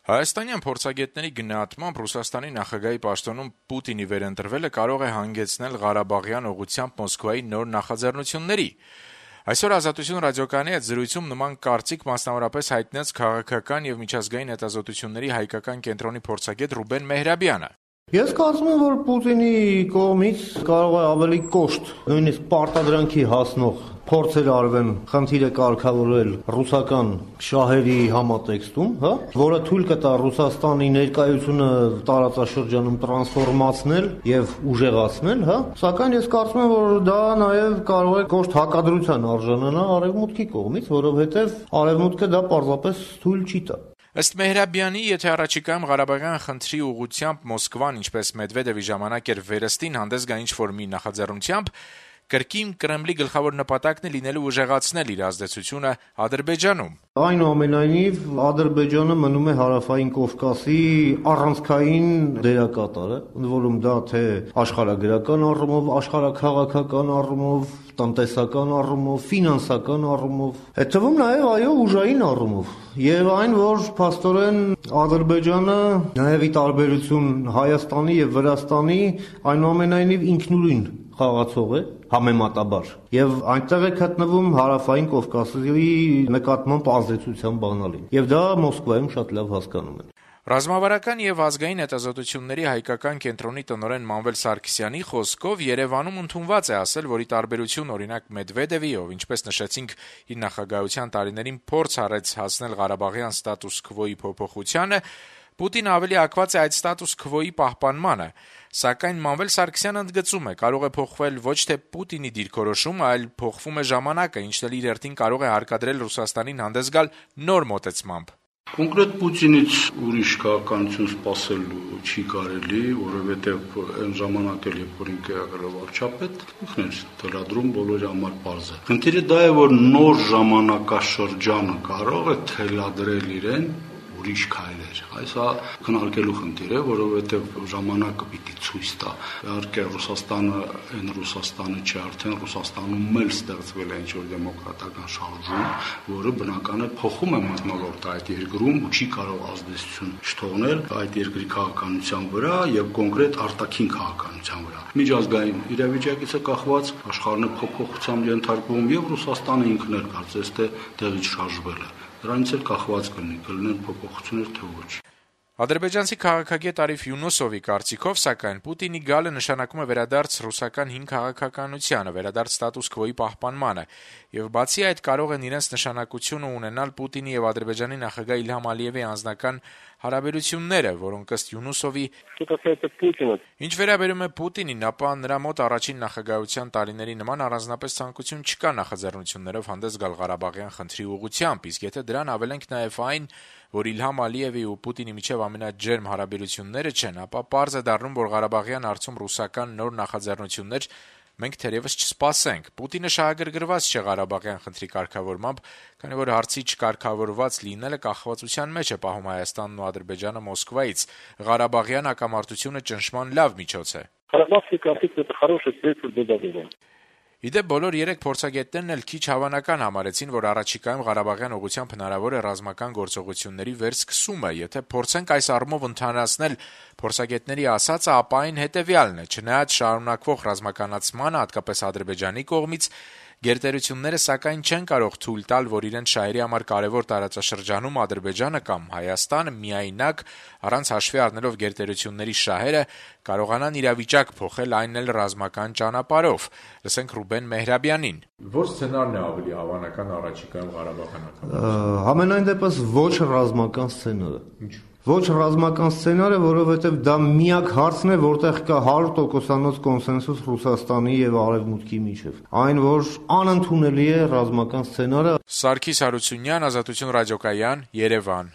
Հայաստանյան փորձագետների գնահատմամբ Ռուսաստանի նախագահի պաշտոնում Պուտինի վերընտրվելը կարող է հանգեցնել Ղարաբաղյան ուղղությամբ Մոսկվայի նոր նախաձեռնությունների։ Այսօր «Ազատություն» ռադիոկայանի հետ զրույցում նման կարծիք մասնավորապես հայտնեց քաղաքական եւ միջազգային հետազոտությունների հայկական կենտրոնի փորձագետ Ռուբեն Մեհրաբյանը։ Ես կարծում եմ, որ Պուտինի կողմից կարող է ավելի կոշտ, նույնիսկ պարտադրանքի հասնող փորձեր արվեն խնդիրը կարգավորել ռուսական շահերի համատեքստում, որը թույլ կտա Ռուսաստանի ներկայությունը տարածաշրջանում տրանսֆորմացնել եւ ուժեղացնել, սակայն ես կարծում եմ, որ դա նաեւ կարող է կոշտ հակադրության արժանանալ Արևմուտքի կողմից, որովհետեւ Արևմուտքը դա պարզապես թույլ չի տա։ Ըստ Մեհրաբյանի, եթե առաջիկայում Ղարաբաղյան խնդրի ուղղությամբ Մոսկվան, ինչպես Մեդվեդևի ժամանակ էր վերստին հանդես գա ինչ-որ մի նախաձեռնությամբ, կրկին Կրեմլի գլխավոր նպատակն է լինելու ուժեղացնել իր ազդեցությունը Ադրբեջանում։ Այնուամենայնիվ, Ադրբեջանը մնում է Հարավային Կովկասի առանցքային դերակատարը, ընդ որում դա թե աշխարհագրական առումով, աշխարհաքաղաքական առումով, տնտեսական առումով, ֆինանսական առումով, այդ թվում նաև ուժային առումով։ Եվ այն, որ փաստորեն Ադրբեջանը նաև ի տարբերություն Հայաստանի եւ Վրաստանի այնուամենայնիվ ինքնուրույն խաղացող է համեմատաբար եւ այնտեղ է գտնվում Հարավային Կովկասի նկատմամբ ազդեցության բանալին եւ դա Մոսկվայում շատ լավ հասկանում են։ Ռազմավարական եւ ազգային հետազոտությունների հայկական կենտրոնի տնօրեն Մանվել Սարգսյանի խոսքով Երևանում ընդունված է ասել, որ ի տարբերություն օրինակ Մեդվեդևի, ով ինչպես նշեցինք իր նախագահության տարիներին փորձ արեց հասնել Ղարաբաղյան ստատուս քվոյի փոփոխությանը, Պուտինը ավելի ակված է այդ ստատուս քվոյի պահպանմանը, սակայն Մանվել Սարգսյանը ընդգծում է, կարող է փոխվել ոչ թե Պուտինի դիրքորոշումը, այլ փոխվում է ժամանակը, ինչն էլ իր հերթին կարող է հարկադրել Ռուսաստանին հանդես գալ նոր մոտեցմամբ։ Կոնկրետ Պուտինից ուրիշ քաղաքականություն սպասելու չի կարելի, որովհետև այն ժամանակ էլ երբ որ ինքը եղել է վարչապետ, ինքն էր թելադրում բոլորի համար պարզ է։ Խնդիրը դա է, որ նոր ժամանակաշրջանը կարող է թելադրել իրեն ուրիշ քայլեր։ Այսա քննարկելու խնդիր է, որովհետև ժամանակը պիտի ցույց տա։ Իհարկե Ռուսաստանը այն Ռուսաստանը չէ, արդեն Ռուսաստանում էլ ստեղծվել է ինչ-որ դեմոկրատական շարժում, որը բնական է փոխում է մթնոլորտը այդ երկրում ու չի կարող ազդեցություն չթողնել այդ երկրի քաղաքականության վրա եւ կոնկրետ արտաքին քաղաքականության վրա։ Միջազգային իրավիճակից է կախված, աշխարհն է փոփոխությամբ ենթարկվում եւ Ռուսաստանը ինքն էլ կարծես թե տեղից շարժվել է։ Դրանից էլ կախված կլինեն փոփոխություններ թե ոչ։ Ադրբեջանցի քաղաքագետ Արիֆ Յունուսովի կարծիքով, սակայն Պուտինի գալը նշանակում է վերադարձ ռուսական հին քաղաքականությանը, վերադարձ ստատուս քվոյի պահպանմանը, եւ բացի այդ կարող են իրենց նշանակությունը ունենալ Պուտինի եւ Ադրբեջանի նախագահ Իլհամ Ալիևի անձնական հարաբերությունները, որոնք ըստ Յունուսովի ինչ վերաբերում է Պուտինին, ապա նրա մոտ առաջին նախագահության տարիների նման առանձնապես ցանկություն չկա նախաձեռնություններով հանդես գալ Ղարաբաղյան խնդրի ուղղությամբ, իսկ եթե դրան ավելենք նաեւ այն, որ Իլհամ Ալիևի ու Պուտինի միջև ամենաջերմ հարաբերությունները չեն, ապա պարզ է դառնում, որ Ղարաբաղյան հարցում ռուսական նոր նախաձեռնություններ մենք թերևս չսպասենք։ Պուտինը շահագրգռված չէ Ղարաբաղյան խնդրի կարգավորմամբ, քանի որ հարցի չկարգավորված լինելը կախվածության մեջ է պահում Հայաստանն ու Ադրբեջանը Մոսկվայից։ Ղարաբաղյան հակամարտությունը ճնշման լավ միջոց է։ Իդեպ բոլոր 3 փորձագետներն էլ քիչ հավանական համարեցին, որ առաջիկայում Ղարաբաղյան ուղղությամբ հնարավոր է ռազմական գործողությունների վերսկսումը, եթե փորձենք այս առումով ընդհանրացնել փորձագետների ասածը, ապա այն հետեւյալն է. չնայած շարունակվող ռազմականացմանը, հատկապես Ադրբեջանի կողմից, գերտերությունները սակայն չեն կարող թույլ տալ, որ իրենց շահերի համար կարևոր տարածաշրջանում Ադրբեջանը կամ Հայաստանը միայնակ, առանց հաշվի առնելով գերտերությունների շահերը, կարողանան իրավիճակ փոխել, այն էլ ռազմական ճանապարհով։ Լսենք Ռուբեն Մեհրաբյանին։ Որ սցենարն է ավելի հավանական առաջիկայում Ղարաբաղյան հակամարտության։ Համենայն դեպս ոչ ռազմական սցենարը։ Ինչ։ Ոչ ռազմական սցենարը, որովհետև դա միակ հարցն է, որտեղ կա 100%-անոց կոնսենսուս Ռուսաստանի եւ Արևմուտքի միջեւ։ Այն, որ անընդունելի է ռազմական սցենարը։ Սարգիս Հարությունյան, Ազատություն ռադիոկայան, Երևան։